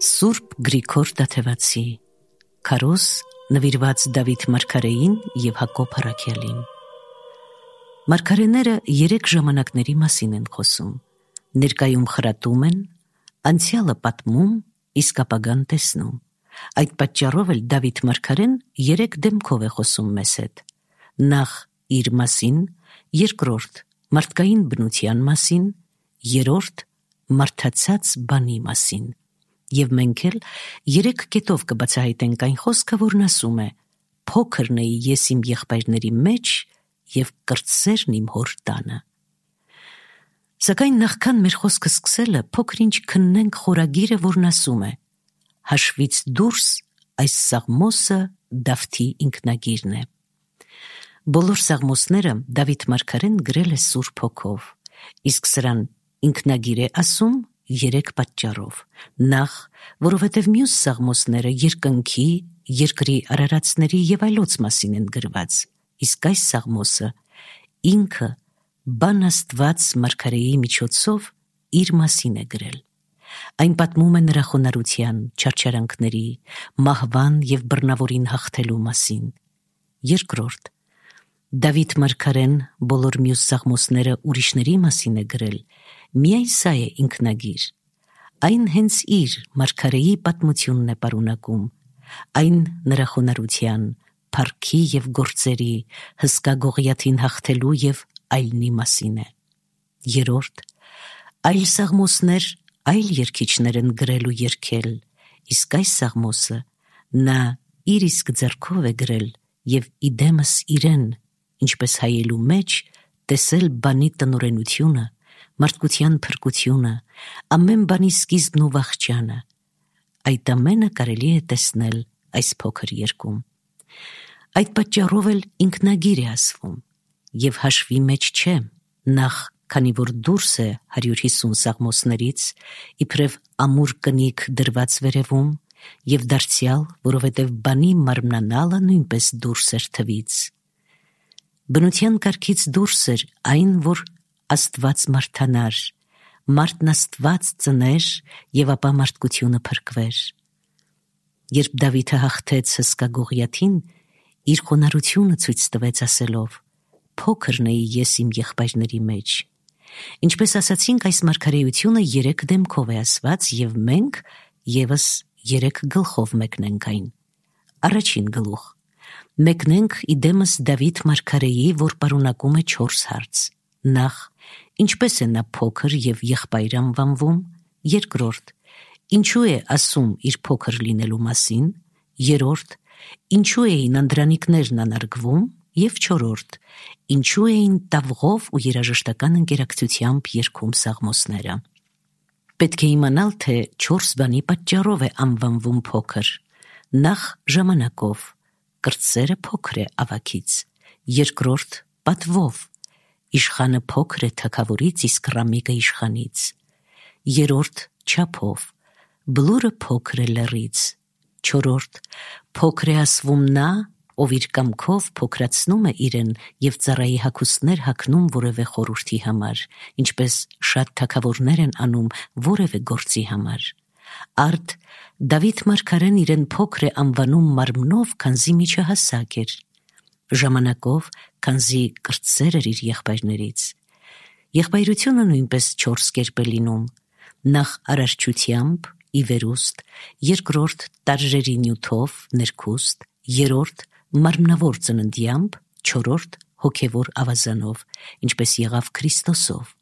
Սուրբ Գրիգոր Տաթևացի, Քարոզ նվիրված Դավիթ մարգարեին և Հակոբ առաքյալին։ Մարգարեները 3 ժամանակների մասին են խոսում. ներկայում խրատում են, անցյալը պատմում, իսկ ապագան տեսնում։ Այդ պատճառով էլ Դավիթ մարգարեն 3 դեմքով է խոսում մեզ հետ. նախ իր մասին, երկրորդ մարդկային բնության մասին, երրորդ մարդացած բանի մասին։ Եվ մենք էլ 3 կետով կբացահայտենք այն խոսքը, որն ասում է. փոքրն էի ես իմ եղբայրների մեջ և կրտսերն իմ հոր տանը։ Սակայն նախքան մեր խոսքը սկսելը, փոքր ինչ քննենք խորագիրը, որն ասում է. հաշվից դուրս այս Սաղմոսը Դավթի ինքնագիրն է։ Բոլոր Սաղմոսները Դավիթ մարգարեն գրել է Սուրբ Հոգով, իսկ սրան ինքնագիր է ասում 3 պատճառով. նախ, որովհետև մյուս Սաղմոսները երկնքի, երկրի արարածների և այլոց մասին են գրված, իսկ այս Սաղմոսը ինքը բան Աստված մարգարեի միջոցով իր մասին է գրել։ Այն պատմում է նրա խոնարհության, չարչարանքների, մահվան և բռնավորին հաղթելու մասին։ Երկրորդ, Դավիթ մարգարեն բոլոր մյուս Սաղմոսները ուրիշների մասին է գրել, միայն սա է ինքնագիր։ Այն հենց իր մարգարեի պատմությունն է պարունակում, այն նրա խոնարհության, փառքի և գործերի, հսկա Գողիաթին հաղթելու և այլնի մասին է։ Երրորդ, այլ Սաղմոսներ այլ երգիչներ են գրել ու երգել, իսկ այս Սաղմոսը նա իր իսկ ձեռքով է գրել և իդեմս իրեն, ինչպես հայելու մեջ, տեսել բանի տնօրենությունը, մարդկության փրկությունը, ամեն բանի սկիզբն ու վախճանը։ Այդ ամենը կարելի է տեսնել այս փոքր երգում։ Այդ պատճառով էլ ինքնագիր է ասվում և հաշվի մեջ չէ, նախ, քանի որ դուրս է 150 Սաղմոսներից, իբրև ամուր կնիկ դրված վերևում, և դարձյալ, որովհետև բանի մարմնանալը նույնպես դուրս էր թվից։ Բնության կարգից դուրս էր այն, որ Աստված մարդանար, մարդն Աստված ծներ և ապա մարդկությունը փրկվեր։ Երբ Դավիթը հաղթեց հսկա Գողիաթին, իր խոնարհությունը ցույց տվեց ասելով. փոքրն էի ես իմ եղբայրների մեջ։ Ինչպես ասացինք, այս մարգարեությունը 3 դեմքով է ասված և մենք ևս 3 գլխով մեկնենք այն։ Առաջին գլուխ. մեկնենք իդեմս Դավիթ մարգարեի, որ պարունակում է 4 հարց. նախ, ինչպես է նա փոքր և եղբայր անվանվում, երկրորդ, ինչու է ասում իր փոքր լինելու մասին, երրորդ, ինչու էին անդրանիկներն անարգվում, և չորրորդ, ինչու էին տավղով ու երաժշտական ընկերակցությամբ երգում Սաղմոսները։ Պետք է իմանալ, թե 4 բանի պատճառով է անվանվում փոքր. նախ, ժամանակով, կրտսերը փոքր է ավագից, երկրորդ, պատվով, իշխանը փոքր է թագավորից, իսկ ռամիկը իշխանից, երրորդ, չափով, բլուրը փոքր է լեռից, չորրորդ, փոքր է ասվում նա, ով իր կամքով փոքրացնում է իրեն և ծառայի հագուստներ հագնում որևէ խորհրդի համար, ինչպես շատ թագավորներ են անում որևէ գործի համար։ Արդ Դավիթ մարգարեն իրեն փոքր է անվանում մարմնով, քանզի միջահասակ էր, ժամանակով, քանզի կրտսեր էր իր եղբայրներից։ Եղբայրությունը նույնպես 4 կերպ է լինում. նախ արարչությամբ, ի վերուստ, երկրորդ տարրերի նյութով, ներքուստ, երրորդ մարմնավոր ծննդյամբ, չորրորդ հոգևոր ավազանով, ինչպես եղավ Քրիստոսով։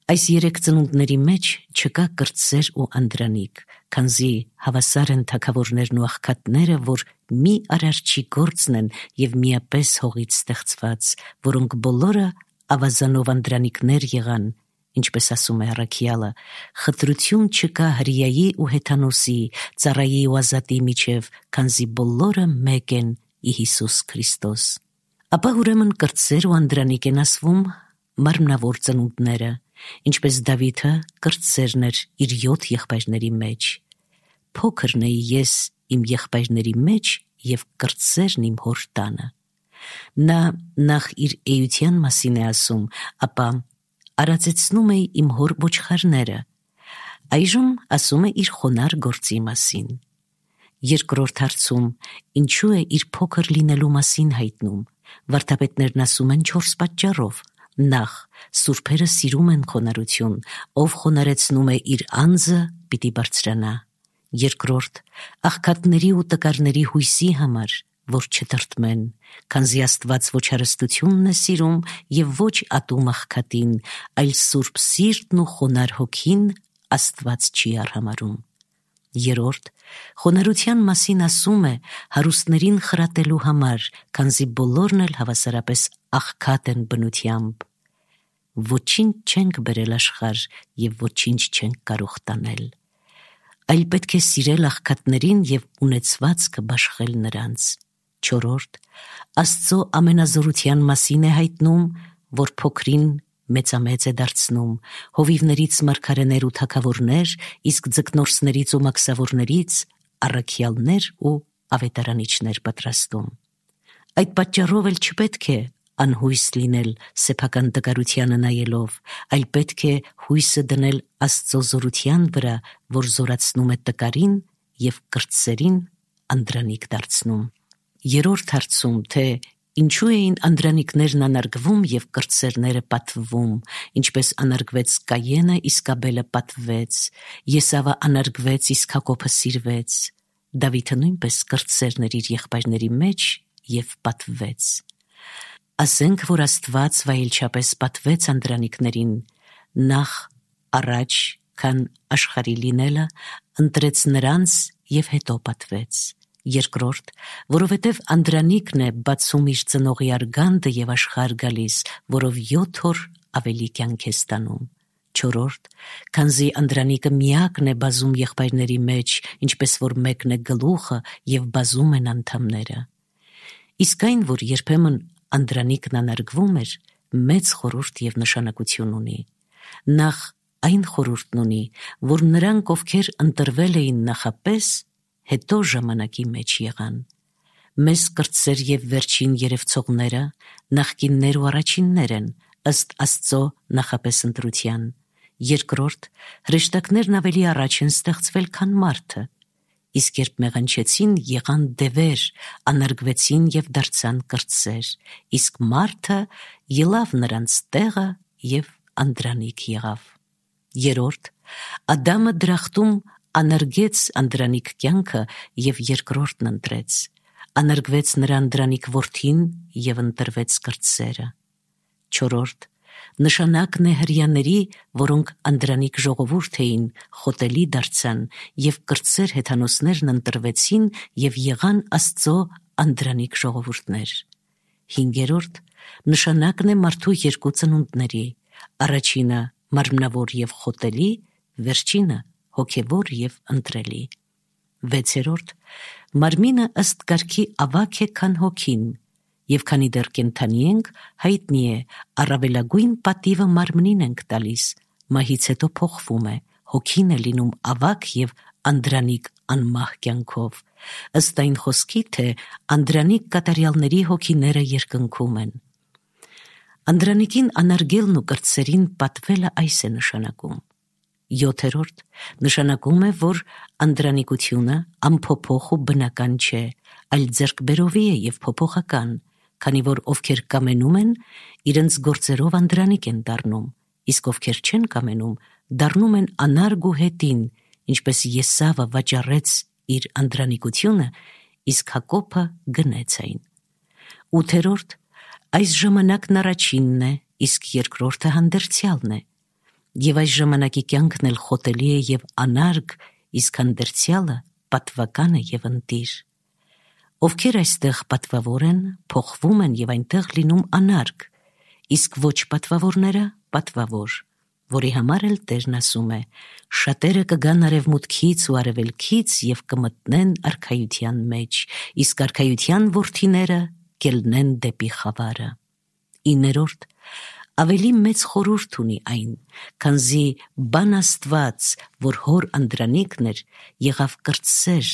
Այս 3 ծնունդների մեջ չկա կրտսեր ու անդրանիկ, քանզի հավասար են թագավորներն ու աղքատները, որ մի արարչի գործն են և միապես հողից ստեղծված, որոնք բոլորը ավազանով անդրանիկներ եղան, ինչպես ասում է առաքյալը, խտրություն չկա հրեայի ու հեթանոսի, ծառայի ու ազատի միջև, քանզի բոլորը մեկ են ի Հիսուս Քրիստոս։ Ապա ուրեմն կրտսեր ու անդրանիկ են ասվում մարմնավոր ծնունդները, ինչպես Դավիթը կրտսերն էր իր 7 եղբայրների մեջ։ Փոքրն էի ես իմ եղբայրների մեջ և կրտսերն իմ հոր տանը։ Նա նախ իր էության մասին է ասում, ապա արածեցնում էի իմ հոր ոչխարները։ Այժմ ասում է իր խոնար գործի մասին։ Երկրորդ հարցում ինչու է իր փոքր լինելու մասին հայտնում։ Վարդապետներն ասում են 4 պատճառով։ Նախ, սուրբերը սիրում են խոնարհություն, ով խոնարեցնում է իր անձը, պիտի բարձրանա։ Երկրորդ, աղքատների ու տկարների հույսի համար, որ չտրտմեն, քանզի Աստված ոչ հարստությունն է սիրում եւ ոչ ատում աղքատին, այլ սուրբ սիրտն ու խոնար հոգին Աստված չի արհամարհում։ Երորդ, խոնարհության մասին ասում է հարուստներին խրատելու համար, քանզի բոլորն էլ հավասարապես աղքատ են բնությամբ։ Ոչինչ չենք բերել աշխարհ եւ ոչինչ չենք կարող տանել, այլ պետք է սիրել աղքատներին եւ ունեցվածքը բաշխել նրանց։ Չորրորդ, Աստծո ամենազորության մասին է հայտնում, որ փոքրին մեծամեծ է դարձնում, հովիվներից մարգարեներ ու թագավորներ, իսկ ձկնորսներից ու մաքսավորներից առաքյալներ ու ավետարանիչներ պատրաստում։ Այդ պատճառով էլ չպետք է անհույս լինել սեփական տկարությանը նայելով, այլ պետք է հույսը դնել Աստծո զորության վրա, որ զորացնում է տկարին եւ կրտսերին անդրանիկ դարձնում։ Երրորդ հարցում, թե ինչու էին անդրանիկներն անարգվում եւ կրտսերները պատվվում, ինչպես անարգվեց Կայենը, իսկ Աբելը պատվվեց, Եսավը անարգվեց, իսկ Հակոբը սիրվեց, Դավիթը նույնպես կրտսերներ իր եղբայրների մեջ եւ պատվվեց։ Ասենք, որ Աստված վայելչապես պատվեց անդրանիկներին, նախ առաջ, քան աշխարհի լինելը, ընտրեց նրանց եւ հետո պատվեց։ Երկրորդ, որովհետև անդրանիկն է բացում իր ծնողի արգանդը եւ աշխարհ գալիս, որով 7 օր ավելի կյանք է ստանում։ Չորրորդ, քանզի անդրանիկը միակն է բազում եղբայրների մեջ, ինչպես որ մեկն է գլուխը եւ բազում են անդամները։ Իսկ այն, որ երբեմն անդրանիկն անարգվում էր, մեծ խորհուրդ եւ նշանակություն ունի։ Նախ այն խորհուրդն ունի, որ նրանք, ովքեր ընտրվել էին նախապես, հետո ժամանակի մեջ եղան։ Մեզ կրտսեր եւ վերջին երևցողները նախկիններ ու առաջիններ են, ըստ Աստծո նախապես ընտրության։ Երկրորդ, հրեշտակներն ավելի առաջ են ստեղծվել, քան մարդը, իսկ երբ մեղանչեցին, եղան դևեր, անարգվեցին եւ դարձան կրտսեր, իսկ մարդը ելավ նրանց տեղը եւ անդրանիկ եղավ։ Երրորդ, Ադամը դրախտում անարգեց անդրանիկ կյանքը եւ երկրորդն ընտրեց, անարգվեց նրա անդրանիկ որդին եւ ընտրվեց կրտսերը։ Չորրորդ, նշանակն է հրյաների, որոնք անդրանիկ ժողովուրդ էին, խոտելի դարձան եւ կրտսեր հեթանոսներն ընտրվեցին եւ եղան Աստծո անդրանիկ ժողովուրդներ։ Հինգերորդ, նշանակն է մարդու երկու ծնունդների, առաջինը մարմնավոր եւ խոտելի, վերջինը հոգևոր եւ ընտրելի։ Վեցերորդ, մարմինը ըստ կարգի ավագ է, քան հոգին, եւ քանի դեռ կենդանի ենք, հայտնի է, առավելագույն պատիվը մարմնին ենք տալիս, մահից հետո փոխվում է, հոգին է լինում ավագ եւ անդրանիկ անմահ կյանքով, ըստ այն խոսքի, թե անդրանիկ կատարյալների հոգիները երկնքում են։ Անդրանիկին անարգելն ու կրտսերին պատվելը այս է նշանակում։ Յոթերորդ, նշանակում է, որ անդրանիկությունը անփոփոխ ու բնական չէ, այլ ձեռքբերովի է եւ փոփոխական, քանի որ ովքեր կամենում են, իրենց գործերով անդրանիկ են դառնում, իսկ ովքեր չեն կամենում, դառնում են անարգ ու հետին, ինչպես Եսավը վաճառեց իր անդրանիկությունը, իսկ Հակոբը գնեց այն։ Ութերորդ, այս ժամանակն առաջինն է, իսկ երկրորդը հանդերձյալն է, եւ այս ժամանակի կյանքն էլ խոտելի է եւ անարգ, իսկ հանդերձյալը պատվական է եւ ընտիր։ Ովքեր այստեղ պատվավոր են, փոխվում են եւ այնտեղ լինում անարգ, իսկ ոչ պատվավորները պատվավոր, որի համար էլ Տերն ասում է. շատերը կգան արևմուտքից ու արևելքից եւ կմտնեն արքայության մեջ, իսկ արքայության որդիները կելնեն դեպի խավարը։ Իներորդ, ավելի մեծ խորհուրդ ունի այն, քանզի բան Աստված, որ հոր անդրանիկն էր, եղավ կրտսեր,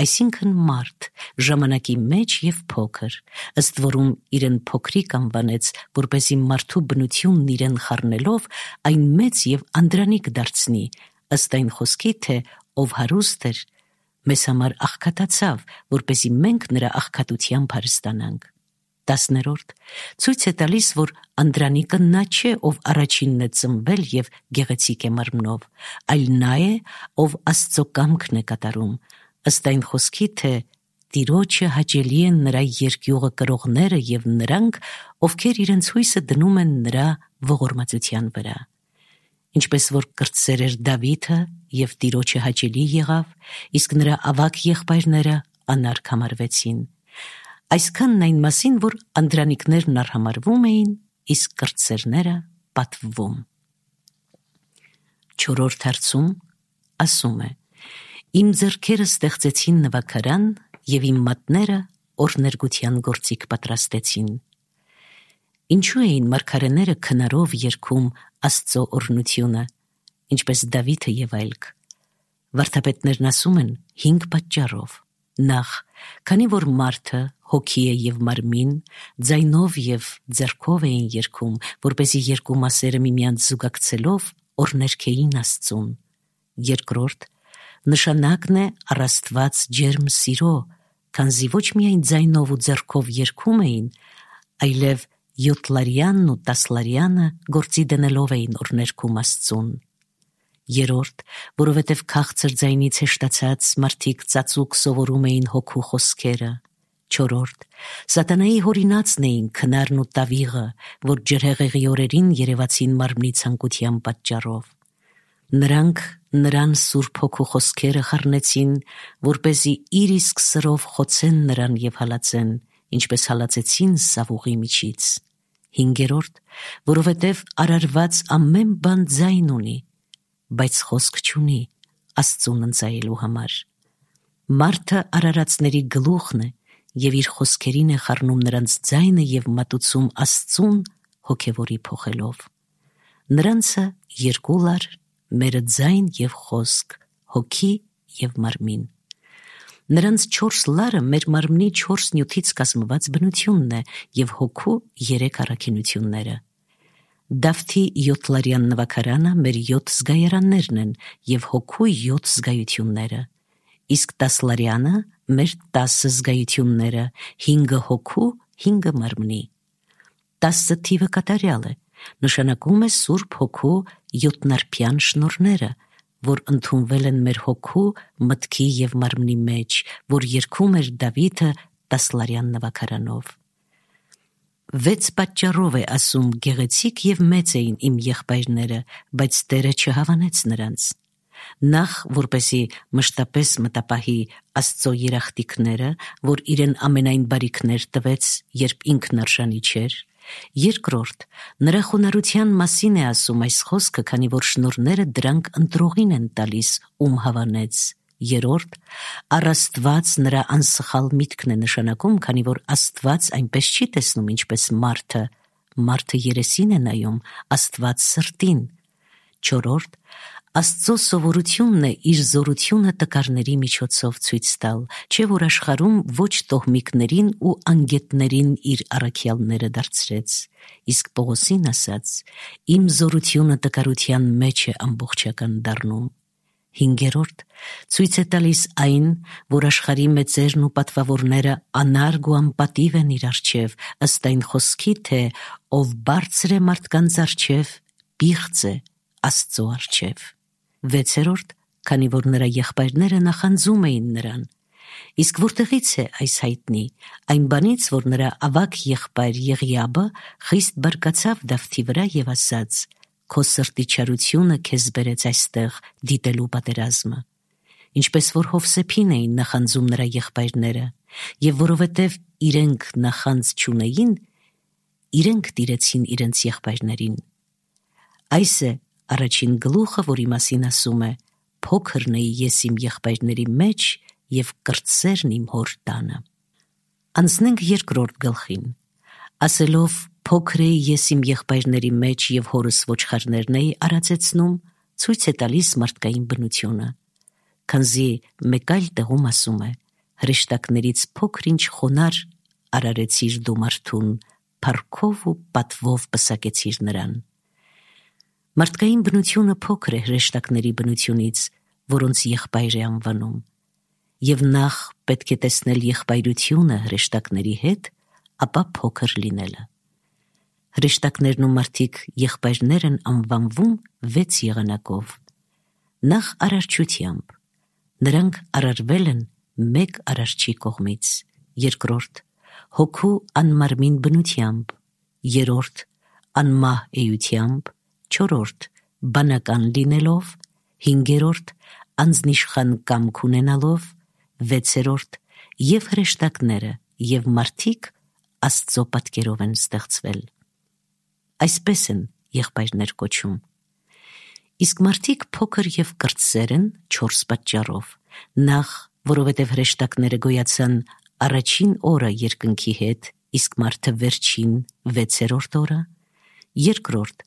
այսինքն մարդ, ժամանակի մեջ եւ փոքր, ըստ որում իրեն փոքրիկ անվանեց, որպեսզի մարդու բնությունն իրեն խառնելով այն մեծ եւ անդրանիկ դարձնի, ըստ այն խոսքի, թե ով հարուստ էր, մեզ համար աղքատացավ, որպեսզի մենք նրա աղքատությամբ հարստանանք։ 10-րդ ցույց է տալիս, որ Անդրանիկը նա չէ, ով առաջինն է ծնվել եւ գեղեցիկ է մարմնով, այլ նա է, ով Աստծո կամքն է կատարում, ըստ այն խոսքի, թե Տիրոջը հաճելի են նրա երկյուղը կրողները եւ նրանք, ովքեր իրենց հույսը դնում են նրա ողորմածության վրա։ Ինչպես որ կրտսեր էր Դավիթը եւ Տիրոջը հաճելի եղավ, իսկ նրա ավագ եղբայրները անարգ համարվեցին։ Այսքանն այն մասին, որ անդրանիկներն արհամարվում էին, իսկ կրտսերները պատվվում։ 4-րդ հարցում ասում է. Իմ ձեռքերը ստեղծեցին նվագարան եւ իմ մատները օրներգության գործիք պատրաստեցին։ Ինչու էին մարգարեները քնարով երգում Աստծո օրհնությունը, ինչպես Դավիթը եւ այլք։ Վարդապետներն ասում են 5 պատճառով։ Նախ, քանի որ մարդը հոգի է եւ մարմին, ձայնով եւ ձեռքով էին երգում, որպեսզի երկու մասերը միմյանց զուգակցելով օրհներգեին Աստծուն։ Երկրորդ, նշանակն է առ Աստված ջերմ սիրո, քանզի ոչ միայն ձայնով ու ձեռքով երգում էին, այլև 7-լարյանն ու 10-լարյանը գործի դնելով էին օրհներգում Աստծուն։ Երորդ, որովհետև քաղցր ձայնից հեշտացած մարդիկ ծածուկ սովորում էին հոգու խոսքերը։ Չորրորդ, սատանայի հորինածն էին քնարն ու տավիղը, որ ջրհեղեղի օրերին երևացին մարմնի ցանկության պատճառով։ Նրանք նրան Սուրբ Հոգու խոսքերը խառնեցին, որպեսզի իր իսկ սրով խոցեն նրան եւ հալածեն, ինչպես հալածեցին Սավուղի միջից։ Հինգերորդ, որովհետև արարված ամեն բան ձայն ունի, բայց խոսք չունի Աստծուն ընծայելու համար։ Մարդը արարածների գլուխն է եւ իր խոսքերին է խառնում նրանց ձայնը եւ մատուցում Աստծուն հոգեվորի փոխելով։ Նրանցը 2 լար, մերը ձայն եւ խոսք, հոգի եւ մարմին։ Նրանց 4 լարը մեր մարմնի 4 նյութից կազմված բնությունն է եւ հոգու 3 առաքինությունները։ Դավթի 7-լարյան նվագարանը մեր 7 զգայարաններն են եւ հոգու 7 զգայությունները, իսկ 10-լարյանը մեր 10 զգայությունները, 5 հոգու, 5 մարմնի։ 10 թիվը կատարյալ է, նշանակում է Սուրբ Հոգու 7-նարբյան շնորհները, որ ընդունվել են մեր հոգու, մտքի եւ մարմնի մեջ, որ երգում էր Դավիթը 10-լարյան նվագարանով։ 6 պատճառով է ասում գեղեցիկ եւ մեծ էին իմ եղբայրները, բայց Տերը չհավանեց նրանց։ Նախ, որպեսի մշտապես մտապահի Աստծո երախտիկները, որ իրեն ամենայն բարիքներ տվեց, երբ ինքն արժանի չէր։ Երկրորդ, նրա խոնարհության մասին է ասում այս խոսքը, քանի որ շնորհները դրանք ընտրողին են տալիս, ում հավանեց։ Երորդ, առ Աստված նրա անսխալ միտքն է նշանակում, քանի որ Աստված այնպես չի տեսնում, ինչպես մարդը։ Մարդը երեսին է նայում, Աստված սրտին։ Չորրորդ, Աստծո սովորությունն է իր զորությունը տկարների միջոցով ցույց տալ, չէ որ աշխարհում ոչ տոհմիկներին ու անգետներին իր առաքյալները դարձրեց։ Իսկ Պողոսին ասաց. «Իմ զորությունը տկարության մեջ է ամբողջական դառնում»։ Հինգերորդ, ցույց է տալիս այն, որ աշխարհի մեծերն ու պատվավորները անարգ ու անպատիվ են իր առջև, ըստ այն խոսքի, թե ով բարձր է մարդկանց առջև, պիղծ է Աստծո առջև։ 6-րդ, քանի որ նրա եղբայրները նախանձում էին նրան։ Իսկ որտեղից է այս հայտնի, այն բանից, որ նրա ավագ եղբայր Եղիաբը խիստ բարկացավ Դավթի վրա եւ ասաց. «Քո սրտի չարությունը քեզ բերեց այստեղ դիտելու պատերազմը»։ Ինչպես որ Հովսեփին էին նախանձում նրա եղբայրները, եւ որովհետեւ իրենք նախանձ չունեին, իրենք տիրեցին իրենց եղբայրներին։ Այս է առաջին գլուխը, որի մասին ասում է. «Փոքրն էի ես իմ եղբայրների մեջ եւ կրտսերն իմ հոր տանը»։ Անցնենք երկրորդ գլխին։ Ասելով փոքր էի ես իմ եղբայրների մեջ եւ հորս ոչխարներն էի արածեցնում, ցույց է տալիս մարդկային բնությունը։ Քանզի մեկ այլ տեղում ասում է. հրեշտակներից փոքր-ինչ խոնար արարեցիր դու մարդուն, փառքով ու պատվով պսակեցիր նրան։ Մարդկային բնությունը փոքր է հրեշտակների բնությունից, որոնց եղբայր է անվանում, եւ նախ պետք է տեսնել եղբայրությունը հրեշտակների հետ, ապա փոքր լինելը։ Հրեշտակներն ու մարդիկ եղբայրներ են անվանվում 6 եղանակով։ Նախ արարչությամբ, նրանք արարվել են մեկ արարչի կողմից, երկրորդ հոգու անմարմին բնությամբ, երրորդ անմահ էությամբ, չորրորդ բանական լինելով, հինգերորդ անձնիշխան կամք ունենալով, վեցերորդ եւ հրեշտակները եւ մարդիկ Աստծո պատկերով են ստեղծվել։ Այսպես են եղբայրներ կոչում։ Իսկ մարդիկ փոքր եւ կրտսեր են 4 պատճառով։ Նախ, որովհետեւ հրեշտակները գոյացան առաջին օրը երկնքի հետ, իսկ մարդը վերջին 6-րդ օրը։ Երկրորդ,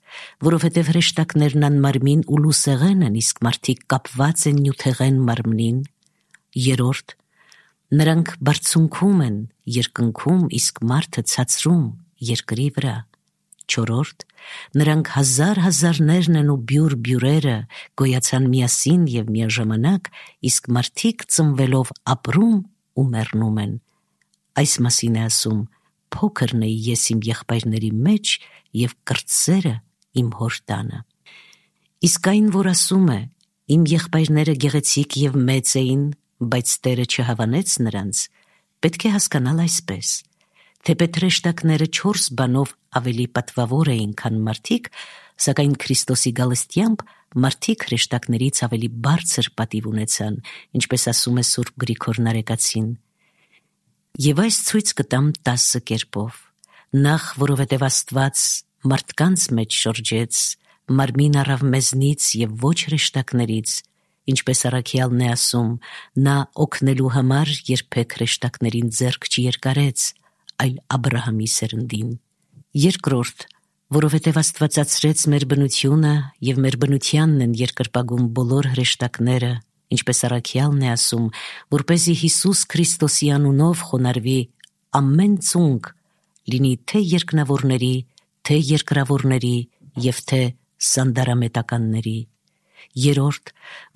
որովհետև հրեշտակներն անմարմին ու լուսեղեն են, իսկ մարդիկ կապված են նյութեղեն մարմնին։ Երրորդ, նրանք բարձունքում են երկնքում, իսկ մարդը ցածրում երկրի վրա։ Չորրորդ, նրանք հազարներն են ու բյուրերը գոյացան միասին եւ միաժամանակ, իսկ մարդիկ ծնվելով ապրում ու մեռնում են։ Այս մասին է ասում. փոքրն էի ես իմ եղբայրների մեջ եւ կրտսերը իմ հոր տանը։ Իսկ այն, որ ասում է, իմ եղբայրները գեղեցիկ եւ մեծ էին, բայց Տերը չհավանեց նրանց, պետք է հասկանալ այսպես. թեպետ հրեշտակները 4 բանով ավելի պատվավոր էին, քան մարդիկ, սակայն Քրիստոսի գալստյամբ մարդիկ հրեշտակներից ավելի բարձր պատիվ ունեցան, ինչպես ասում է Սուրբ Գրիգոր Նարեկացին։ Եվ այս ցույց կտամ 10 կերպով. նախ, որովհետև Աստված մարդկանց մեջ շրջեց, մարմին առավ մեզնից եւ ոչ հրեշտակներից, ինչպես առաքյալն է ասում, նա օգնելու համար երբեք հրեշտակներին ձեռք չերկարեց, այլ Աբրահամի սերնդին։ Երկրորդ, որովհետև Աստվածացրեց մեր բնությունը եւ մեր բնությանն են երկրպագում բոլոր հրեշտակները, ինչպես առաքյալն է ասում, որպեսզի Հիսուս Քրիստոսի անունով խոնարհվի ամեն ծունկ, լինի թե երկնավորների, թե երկրավորների եւ թե սանդարամետականների։ Երրորդ,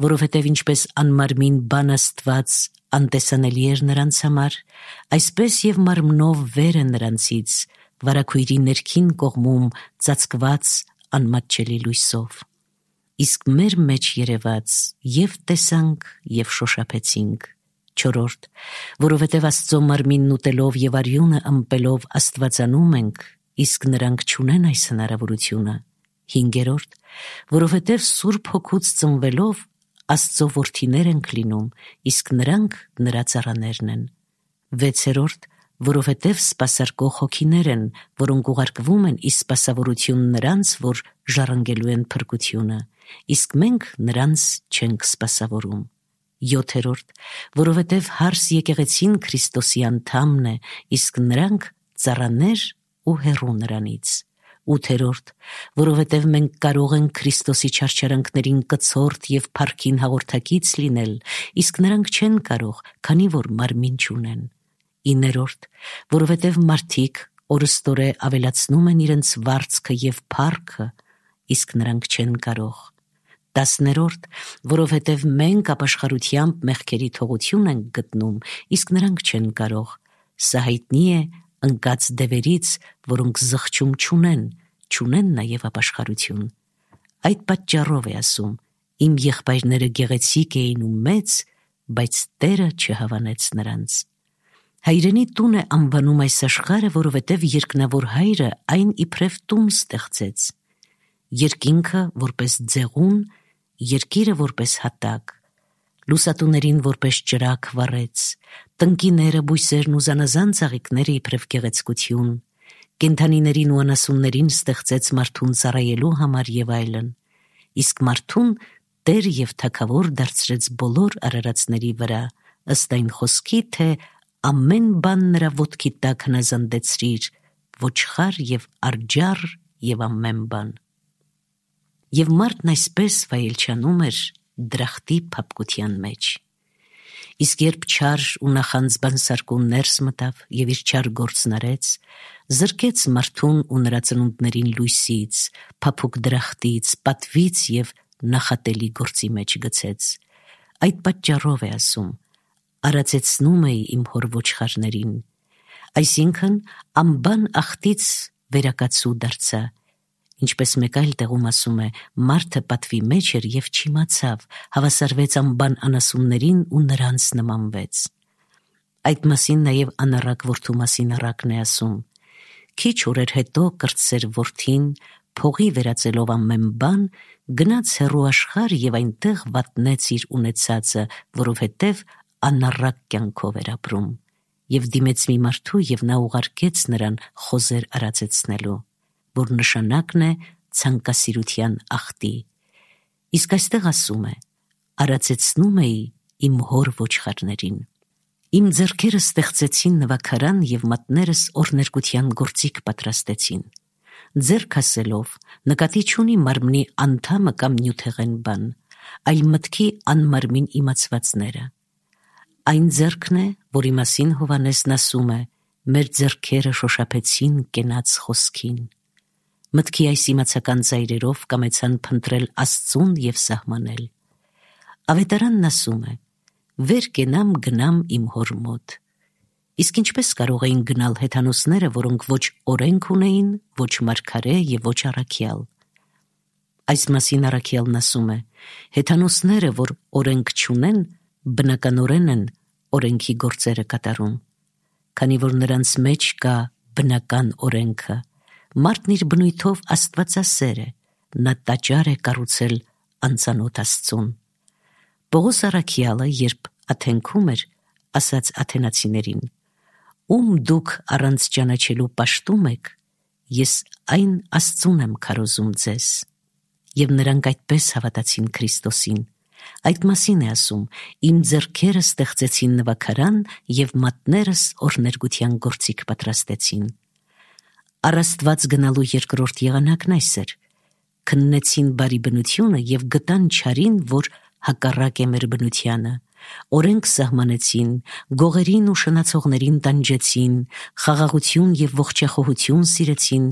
որովհետև ինչպես անմարմին բան Աստված անտեսանելի էր նրանց համար, այսպես եւ մարմնով վեր է նրանցից, վարագույրի ներքին կողմում ծածկված անմատչելի լույսով։ Իսկ մեր մեջ երևաց եւ տեսանք եւ շոշափեցինք։ Չորրորդ, որովհետև Աստծո մարմինն ուտելով եւ արյունը ըմպելով Աստվածանում ենք, իսկ նրանք չունեն այս հնարավորությունը։ Հինգերորդ, որովհետև Սուրբ Հոգուց ծնվելով Աստծո որդիներ ենք լինում, իսկ նրանք նրա ծառաներն են։ Վեցերորդ, որովհետև սպասարկող հոգիներ են, որոնք ուղարկվում են ի սպասավորություն նրանց, որ ժառանգելու են փրկությունը, իսկ մենք նրանց չենք սպասավորում։ 7-րդ, որովհետև հարս եկեղեցին Քրիստոսի անդամն է, իսկ նրանք ծառաներ ու հեռու նրանից։ 8-րդ, որովհետև մենք կարող ենք Քրիստոսի չարչարանքներին կցորդ եւ փառքին հաղորդակից լինել, իսկ նրանք չեն կարող, քանի որ մարմին չունեն։ 9-րդ, որովհետև մարդիկ օրստորե ավելացնում են իրենց վարձքը եւ փառքը, իսկ նրանք չեն կարող։ 10-րդ, որովհետև մենք ապաշխարությամբ մեղքերի թողություն ենք գտնում, իսկ նրանք չեն կարող։ Սա հայտնի է ընկած դևերից, որոնք զղջում չունեն նաև ապաշխարություն։ Այդ պատճառով է ասում. իմ եղբայրները գեղեցիկ էին ու մեծ, բայց Տերը չհավանեց նրանց։ Հայրենի տուն է անվանում այս աշխարհը, որովհետև երկնավոր հայրը այն իբրև տուն ստեղծեց։ Երկինքը որպես ձեղուն, երկիրը որպես հատակ, լուսատուներին որպես ճրագ վառեց, տնկիները, բույսերն ու զանազան ծաղիկները իբրև գեղեցկություն, կենդանիներին ու անասուններին ստեղծեց մարդուն ծառայելու համար եւ այլն, իսկ մարդուն Տեր եւ Թագավոր դարձրեց բոլոր արարածների վրա, ըստ այն խոսքի, թե ամեն բան նրա ոտքի տակ հնազանդեցրիր, ոչխար եւ արջառ եւ ամեն բան։ Եվ մարդն այսպես վայելչանում էր դրախտի փափկության մեջ։ Իսկ երբ չար ու նախանձ բանսարկուն ներս մտավ եւ իր չար գործն արեց, զրկեց մարդուն ու նրա ծնունդներին լույսից, փափուկ դրախտից, պատվից և նախատելի գործի մեջ գցեց։ Այդ պատճառով է ասում. արածեցնում էի իմ հոր ոչխարներին, այսինքն անբան ախտից վերակացու դարձա, ինչպես մեկ այլ տեղում ասում է, մարդը պատվի մեջ էր և չիմացավ, հավասարվեց անբան անասուններին ու նրանց նմանվեց։ Այդ մասին նաև անառակ որդու մասին առակն է ասում. քիչ օրեր հետո կրտսեր որդին, փողի վերածելով ամեն բան, գնաց հեռու աշխարհ և այնտեղ վատնեց իր ունեցածը, որովհետև անառակ կյանքով էր ապրում, և դիմեց մի մարդու և նա ուղարկեց նրան խոզեր արածեցնելու, որ նշանակն է ցանկասիրության ախտի։ Իսկ այստեղ ասում է. արածեցնում էի իմ հոր ոչխարներին։ Իմ ձեռքերը ստեղծեցին նվագարան և մատներս օրհներգության գործիք պատրաստեցին։ Ձեռք ասելով նկատի չունի մարմնի անդամը կամ նյութեղեն բան, այլ մտքի անմարմին իմացվածները։ Այն ձեռքն է, որի մասին Հովհաննեսն ասում է. մեր ձեռքերը շոշափեցին կենաց խոսքին։ Մտքի այս իմացական ծայրերով կամեցան փնտրել Աստծուն և սահմանել։ Ավետարանն ասում է. վեր կենամ գնամ իմ հոր մոտ։ Իսկ ինչպես կարող էին գնալ հեթանոսները, որոնք ոչ օրենք ունեին, ոչ մարգարե և ոչ առաքյալ։ Այս մասին առաքյալն ասում է. հեթանոսները, որ օրենք չունեն, բնականորեն են օրենքի գործերը կատարում, քանի որ նրանց մեջ կա բնական օրենքը, մարդն իր բնույթով աստվածասեր է, նա տաճար է կառուցել անծանոթ Աստծուն։ Պողոս առաքյալը, երբ Աթենքում էր, ասաց աթենացիներին. ում դուք առանց ճանաչելու պաշտում եք, ես այն Աստծուն եմ քարոզում ձեզ։ Եվ նրանք այդպես հավատացին Քրիստոսին։ Այդ մասին է ասում. իմ ձեռքերը ստեղծեցին նվագարան և մատներս օրհներգության գործիք պատրաստեցին։ Առ Աստված գնալու երկրորդ եղանակն այս էր. քննեցին բարի բնությունը և գտան չարին, որ հակառակ է մեր բնությանը, օրենք սահմանեցին, գողերին ու շնացողներին տանջեցին, խաղաղություն և ողջախոհություն սիրեցին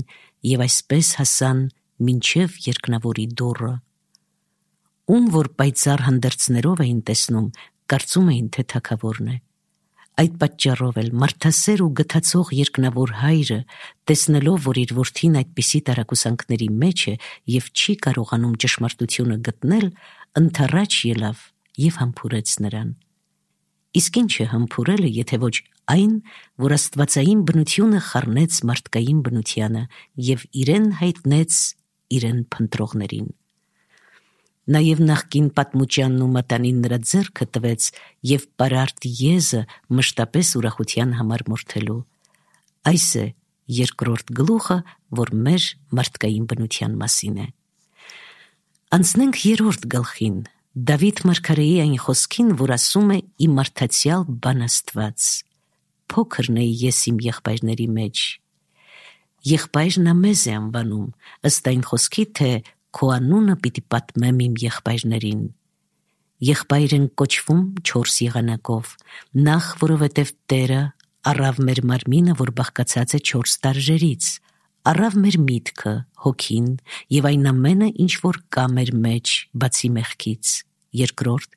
և այսպես հասան մինչև երկնավորի դուռը։ Ում որ պայծառ հանդերձներով էին տեսնում, կարծում էին, թե թագավորն է։ Այդ պատճառով էլ մարդասեր ու գթացող երկնավոր հայրը, տեսնելով, որ իր որդին այդպիսի տարակուսանքների մեջ է և չի կարողանում ճշմարտությունը գտնել, ընդառաջ ելավ և համբուրեց նրան։ Իսկ ինչ է համբուրելը, եթե ոչ այն, որ աստվածային բնությունը խառնեց մարդկային բնությանը և իրեն հայտնեց իրեն փնտրողներին։ Նաև նախկին պատմուճյանն ու մատանին նրա ձեռքը տվեց և պարարտ եզը մշտապես ուրախության համար մորթելու։ Այս է երկրորդ գլուխը, որ մեր մարդկային բնության մասին է։ Անցնենք երրորդ գլխին, Դավիթ մարգարեի այն խոսքին, որ ասում է ի մարդացյալ բան Աստված. փոքրն էի ես իմ եղբայրների մեջ։ Եղբայրն մեզ է անվանում, ըստ այն խոսքի, թե քո անունը պիտի պատմեմ իմ եղբայրներին։ Եղբայր են կոչվում 4 եղանակով, նախ, որովհետև Տերը առավ մեր մարմինը, որ բաղկացած է 4 տարրերից, առավ մեր միտքը, հոգին և այն ամենը, ինչ որ կա մեր մեջ, բացի մեղքից։ Երկրորդ,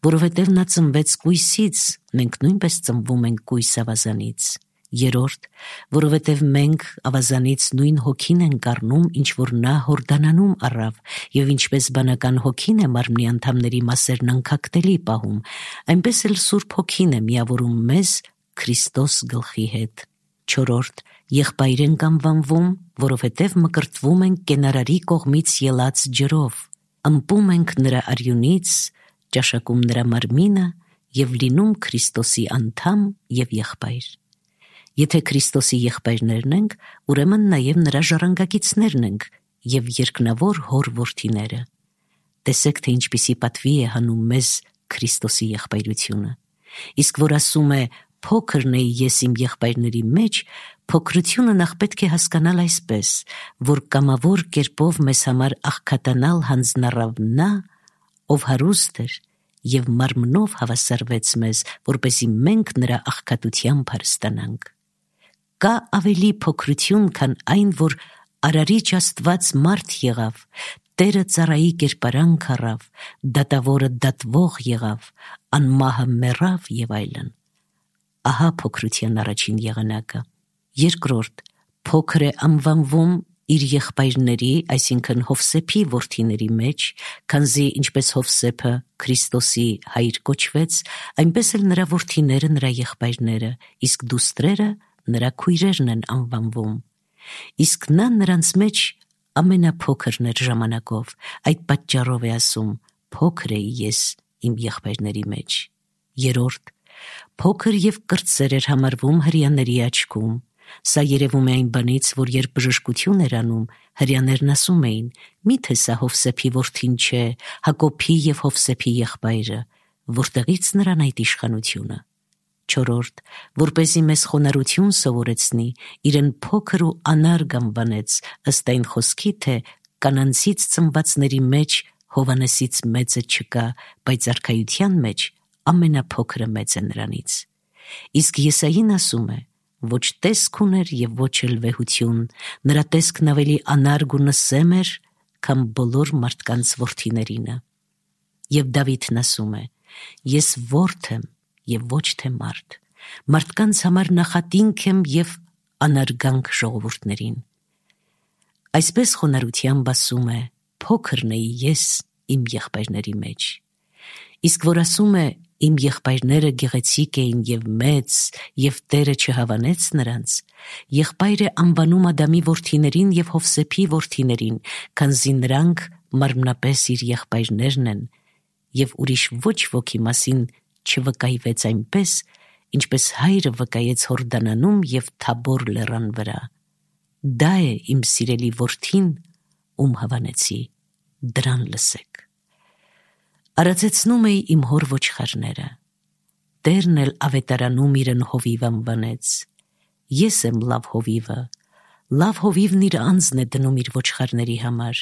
որովհետև նա ծնվեց կույսից, մենք նույնպես ծնվում ենք կույս ավազանից։ Երրորդ, որովհետև մենք ավազանից նույն հոգին ենք առնում, ինչ որ նա Հորդանանում առավ, և ինչպես բանական հոգին է մարմնի անդամների մասերն անքակտելի պահում, այնպես էլ Սուրբ Հոգին է միավորում մեզ Քրիստոս գլխի հետ։ Չորրորդ, եղբայր ենք անվանվում, որովհետև մկրտվում ենք կենարարի կողմից ելած ջրով, ըմպում ենք նրա արյունից, ճաշակում նրա մարմինը և լինում Քրիստոսի անդամ և եղբայր։ Եթե Քրիստոսի եղբայրներն ենք, ուրեմն նաև նրա ժառանգակիցներն ենք և երկնավոր հոր որդիները։ Տեսեք, թե ինչպիսի պատվի է հանում մեզ Քրիստոսի եղբայրությունը։ Իսկ որ ասում է փոքրն էի ես իմ եղբայրների մեջ, փոքրությունը նախ պետք է հասկանալ այսպես, որ կամավոր կերպով մեզ համար աղքատանալ հանձնառավ նա, ով հարուստ էր և մարմնով հավասարվեց մեզ, որպեսզի մենք նրա աղքատությամբ հարստանանք։ Կա ավելի փոքրություն, քան այն, որ Արարիչ Աստված մարդ եղավ, Տերը ծառայի կերպարանք առավ, դատավորը դատվող եղավ, անմահը մեռավ եւ այլն։ Ահա փոքրության առաջին եղանակը։ Երկրորդ, փոքր է անվանվում իր եղբայրների, այսինքն Հովսեփի որդիների մեջ, քանզի ինչպես Հովսեփը Քրիստոսի հայր կոչվեց, այնպես էլ նրա որդիները նրա եղբայրները, իսկ դուստրերը նրա քույրերն են անվանվում։ Իսկ նա նրանց մեջ ամենափոքրն էր ժամանակով, այդ պատճառով է ասում. փոքր էի ես իմ եղբայրների մեջ։ Երորդ, փոքր եւ կրտսեր էր համարվում հրեաների աչքում։ Սա երևում է այն բանից, որ երբ բժշկություն էր անում, հրեաներն ասում էին. միթե սա Հովսեփի որդին չէ, Հակոբի եւ Հովսեփի եղբայրը, որտեղից նրան այդ իշխանությունը։ Չորրորդ, որպեսզի մեզ խոնարհություն սովորեցնի, իրեն փոքր ու անարգ անվանեց, ըստ այն խոսքի, թե կանանցից ծնվածների մեջ Հովանեսից մեծը չկա, բայց արքայության մեջ ամենափոքրը մեծ է նրանից։ Իսկ Եսային ասում է. ոչ տեսք ուներ եւ ոչ էլ վեհություն, նրա տեսքն ավելի անարգ ու նսեմ էր, քան բոլոր մարդկանց որդիներինը։ Եվ Դավիթն ասում է. ես որդի եմ եւ ոչ թե մարդ, մարդկանց համար նախատինք եմ եւ անարգանք ժողովուրդներին։ Այսպես խոնարհությամբ ասում է. փոքրն էի ես իմ եղբայրների մեջ։ Իսկ որ ասում է իմ եղբայրները գեղեցիկ էին եւ մեծ, եւ Տերը չհավանեց նրանց, եղբայր է անվանում Ադամի որդիներին եւ Հովսեփի որդիներին, քանզի նրանք մարմնապես իր եղբայրներն են, եւ ուրիշ ոչ ոքի մասին չվկայվեց այնպես, ինչպես հայրը վկայեց Հորդանանում եւ Թաբոր լեռան վրա։ Դա է իմ սիրելի որդին, ում հավանեցի, դրան լսեք։ Արածեցնում էի իմ հոր ոչխարները, Տերն էլ ավետարանում իրեն հովիվ անվանեց։ Ես եմ լավ հովիվը, լավ հովիվն իր անձն է դնում իր ոչխարների համար,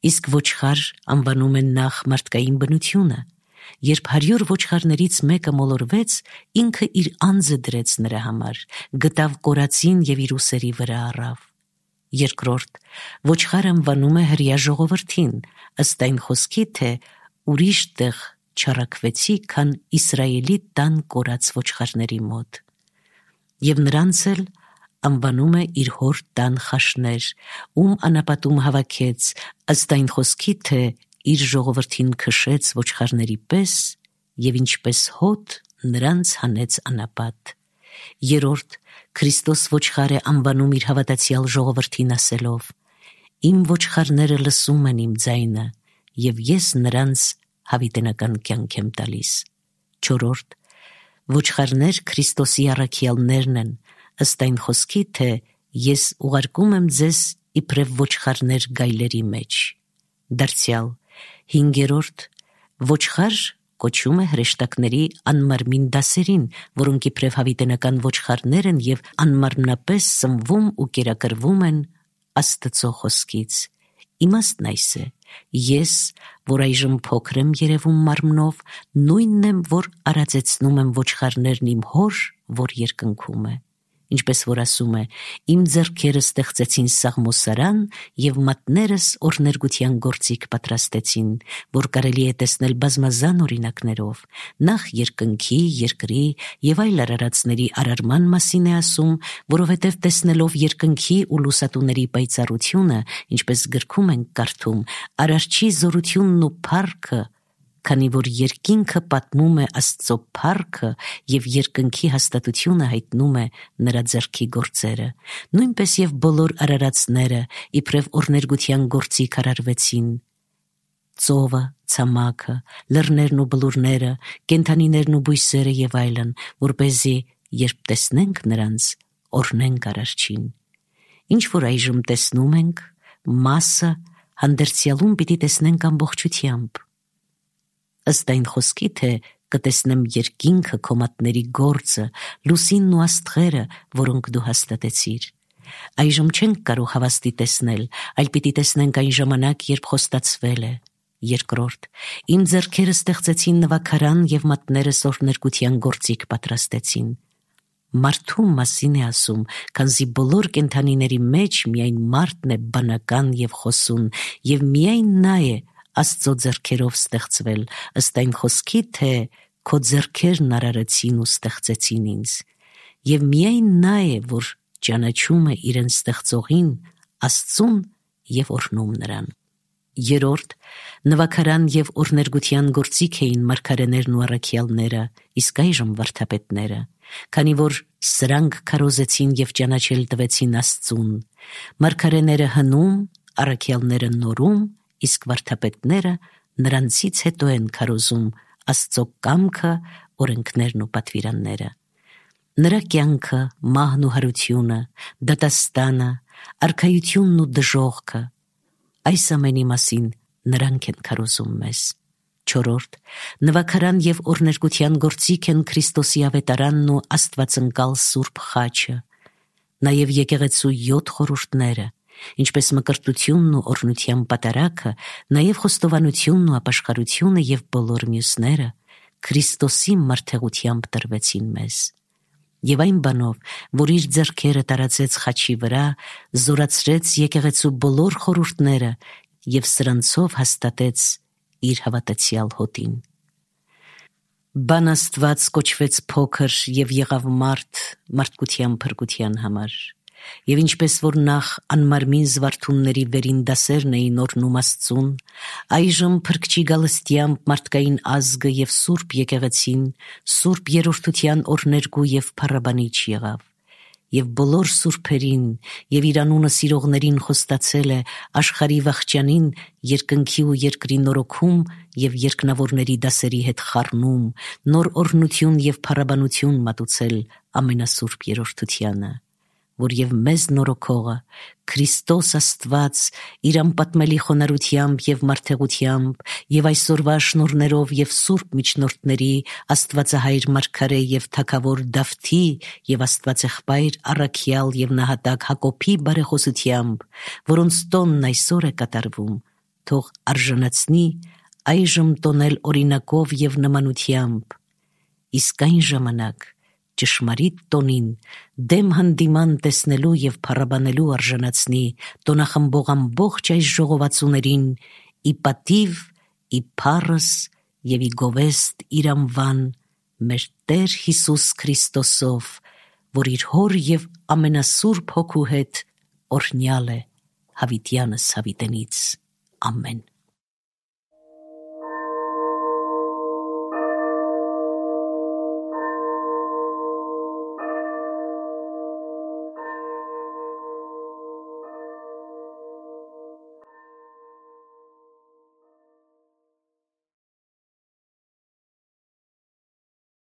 իսկ ոչխար անվանում են նախ մարդկային բնությունը, երբ 100 ոչխարներից մեկը մոլորվեց, ինքը իր անձը դրեց նրա համար, գտավ կորածին եւ իր ուսերի վրա առավ։ Երկրորդ, ոչխար անվանում է հրեա ժողովրդին, ըստ այն խոսքի, թե ուրիշ տեղ չառաքվեցի, քան Իսրայելի տան կորած ոչխարների մոտ։ Եվ նրանց էլ անվանում է իր հոր տան խաշներ, ում անապատում հավաքեց, ըստ այն խոսքի, թե իր ժողովրդին քշեց ոչխարների պես եւ ինչպես հոտ նրանց հանեց անապատ։ Երորդ, Քրիստոս ոչխար է անվանում իր հավատացյալ ժողովրդին ասելով. իմ ոչխարները լսում են իմ ձայնը եւ ես նրանց հավիտենական կյանք եմ տալիս։ Չորրորդ, ոչխարներ Քրիստոսի առաքյալներն են, ըստ այն խոսքի, թե ես ուղարկում եմ ձեզ իբրև ոչխարներ գայլերի մեջ։ Դարձյալ, հինգերորդ, ոչխար կոչում է հրեշտակների անմարմին դասերին, որոնք իբրև հավիտենական ոչխարներ են եւ անմարմնապես սնվում ու կերակրվում են Աստծո խոսքից։ Իմաստն այս է. ես, որ այժմ փոքր եմ երևում մարմնով, նույնն եմ, որ արածեցնում եմ ոչխարներն իմ հոր, որ երկնքում է։ Ինչպես որ ասում է. իմ ձեռքերը ստեղծեցին սաղմոսարան եւ մատներս օրներգության գործիք պատրաստեցին, որ կարելի է տեսնել բազմազան օրինակներով, նախ երկնքի, երկրի եւ այլ արարածների արարման մասին է ասում, որովհետեւ տեսնելով երկնքի ու լուսատուների պայծառությունը, ինչպես գրքում ենք կարդում, արարչի զորությունն ու փառքը, քանի որ երկինքը պատմում է Աստծո փառքը եւ երկնքի հաստատությունը հայտնում է նրա ձեռքի գործերը, նույնպես եւ բոլոր արարածները իբրև օրներգության գործիք արարվեցին։ Ծովը, ցամաքը, լեռներն ու բլուրները, կենդանիներն ու բույսերը եւ այլն, որպեսզի երբ տեսնենք նրանց, օրհնենք արարչին։ Ինչ որ այժմ տեսնում ենք, մասը հանդերձյալում պիտի տեսնենք ամբողջությամբ։ Ըստ այն խոսքի, թե կտեսնեմ երկինքը քո մատների գործը, լուսինն ու աստղերը, որոնք դու հաստատեցիր։ Այժմ չենք կարող հավաստի տեսնել, այլ պիտի տեսնենք այն ժամանակ, երբ խոստացվել է։ Երկրորդ, իմ ձեռքերը ստեղծեցին նվագարան եւ մատներս օրներգության գործիք պատրաստեցին։ մարդու մասին է ասում, քանզի բոլոր կենդանիների մեջ միայն մարդն է բանական եւ խոսուն, եւ միայն նա է Աստծո ձեռքերով ստեղծվել, ըստ այն խոսքի, թե քո ձեռքերն արարեցին ու ստեղծեցին ինձ, եւ միայն նա է, որ ճանաչում է իրեն ստեղծողին, Աստծուն եւ օրհնում նրան։ Երորդ, նվագարան եւ օրներգության գործիք էին մարգարեներն ու առաքյալները, իսկ այժմ վարդապետները, քանի որ սրանք քարոզեցին եւ ճանաչել տվեցին Աստծուն։ Մարգարեները հնում, առաքյալները նորում, իսկ վարդապետները նրանցից հետո են քարոզում Աստծո կամքը, օրենքներն ու պատվիրանները։ Նրա կյանքը, մահն ու հարությունը, դատաստանը, արքայությունն ու դժոխքը, այս ամենի մասին նրանք են քարոզում մեզ։ Չորրորդ, նվագարան եւ օրներգության գործիք են Քրիստոսի ավետարանն ու Աստվածընկալ Սուրբ խաչը, նաեւ եկեղեցու 7 խորհուրդները, ինչպես մկրտությունն ու օրհնության պատարագը, նաեւ խոստովանությունն ու ապաշխարությունը եւ բոլոր մյուսները Քրիստոսի մարդեղությամբ տրվեցին մեզ։ Եվ այն բանով, որ իր ձեռքերը տարածեց խաչի վրա, զորացրեց եկեղեցու բոլոր խորհուրդները եւ սրանցով հաստատեց իր հավատացյալ հոտին։ Բան Աստված կոչվեց փոքր եւ եղավ մարդկության փրկության համար։ Եվ ինչպես որ նախ անմարմին զվարթունների վերին դասերն էին օրհնում Աստծուն, այժմ փրկչի գալստյամբ մարդկային ազգը եւ Սուրբ եկեղեցին, Սուրբ երրորդության օրներգու եւ փառաբանիչ եղավ։ Եվ բոլոր սուրբերին եւ իր անունը սիրողներին խոստացել է աշխարհի վախճանին երկնքի ու երկրի նորոգում եւ երկնավորների դասերի հետ խառնում, նոր օրհնություն եւ փառաբանություն մատուցել ամենասուրբ երրորդությանը, որ եւ մեզ նորոգողը Քրիստոս Աստված իր անպատմելի խոնարհությամբ եւ մարդեղությամբ եւ այսօրվա շնորհներով եւ սուրբ միջնորդների Աստվածահայր մարգարե եւ թագավոր Դավթի եւ Աստվածեղբայր առաքյալ եւ նահատակ Հակոբի բարեխոսությամբ, որոնց տոնն այսօր է կատարվում, թող արժանացնի այժմ տոնել օրինակով եւ նմանությամբ, իսկ այն ժամանակ ճշմարիտ տոնին դեմ հանդիման տեսնելու եւ փառաբանելու արժանացնի տոնախմբող ամբողջ այս ժողովածուներին ի պատիվ, ի փառս եւ ի գովեստ իր անվան մեր Տեր Հիսուս Քրիստոսով, որ իր հոր եւ ամենասուրբ հոգու հետ օրհնյալ է հավիտյանս հավիտենից։ Ամեն։